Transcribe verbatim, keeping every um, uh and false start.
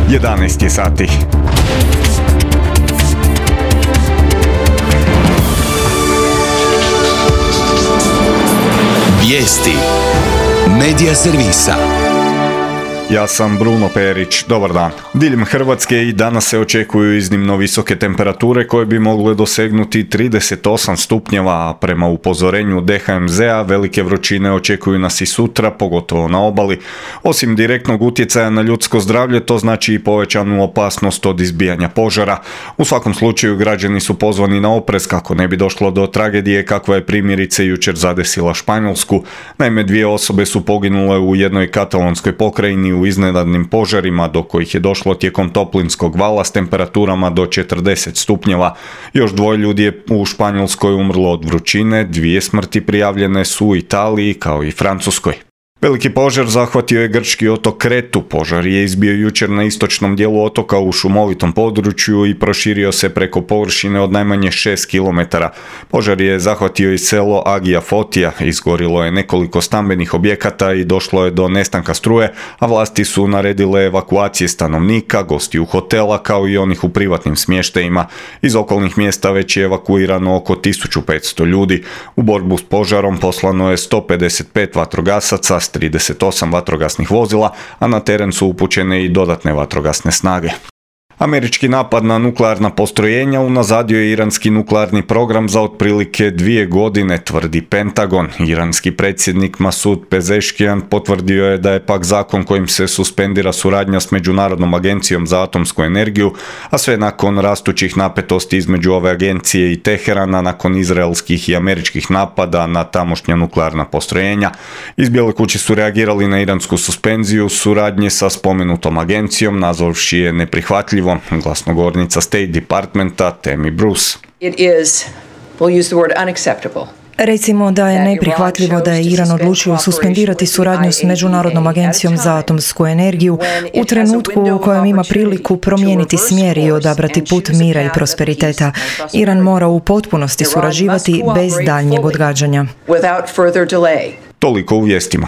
jedanaest je sati. Vijesti Medija servisa. Ja sam Bruno Perić, dobar dan. Diljem Hrvatske i danas se očekuju iznimno visoke temperature koje bi mogle dosegnuti trideset osam stupnjeva, a prema upozorenju D H M Z a velike vrućine očekuju nas i sutra, pogotovo na obali. Osim direktnog utjecaja na ljudsko zdravlje, to znači i povećanu opasnost od izbijanja požara. U svakom slučaju građani su pozvani na oprez kako ne bi došlo do tragedije kakva je primjerice jučer zadesila Španjolsku. Naime, dvije osobe su poginule u jednoj katalonskoj pokrajini u iznenadnim požarima do kojih je došlo tijekom toplinskog vala s temperaturama do četrdeset stupnjeva. Još dvoje ljudi je u Španjolskoj umrlo od vrućine, dvije smrti prijavljene su u Italiji kao i Francuskoj. Veliki požar zahvatio je grčki otok Kretu. Požar je izbio jučer na istočnom dijelu otoka u šumovitom području i proširio se preko površine od najmanje šest kilometara. Požar je zahvatio i selo Agija Fotija, izgorilo je nekoliko stambenih objekata i došlo je do nestanka struje, a vlasti su naredile evakuacije stanovnika, gostiju hotela kao i onih u privatnim smještajima. Iz okolnih mjesta već je evakuirano oko tisuću petsto ljudi. U borbu s požarom poslano je sto pedeset pet vatrogasaca, trideset osam vatrogasnih vozila, a na teren su upućene i dodatne vatrogasne snage. Američki napad na nuklearna postrojenja unazadio je iranski nuklearni program za otprilike dvije godine, tvrdi Pentagon. Iranski predsjednik Masud Pezeshkian potvrdio je da je pak zakon kojim se suspendira suradnja s Međunarodnom agencijom za atomsku energiju, a sve nakon rastućih napetosti između ove agencije i Teherana nakon izraelskih i američkih napada na tamošnja nuklearna postrojenja. Iz Bijele kuće su reagirali na iransku suspenziju suradnje sa spomenutom agencijom, nazvavši je neprihvatljivo. Glasnogovornica State Departmenta Tammy Bruce. It is, we'll use the word unacceptable. Recimo da je neprihvatljivo da je Iran odlučio suspendirati suradnju s Međunarodnom agencijom za atomsku energiju u trenutku u kojem ima priliku promijeniti smjer i odabrati put mira i prosperiteta. Iran mora u potpunosti surađivati bez daljnjeg odgađanja. Toliko u vijestima.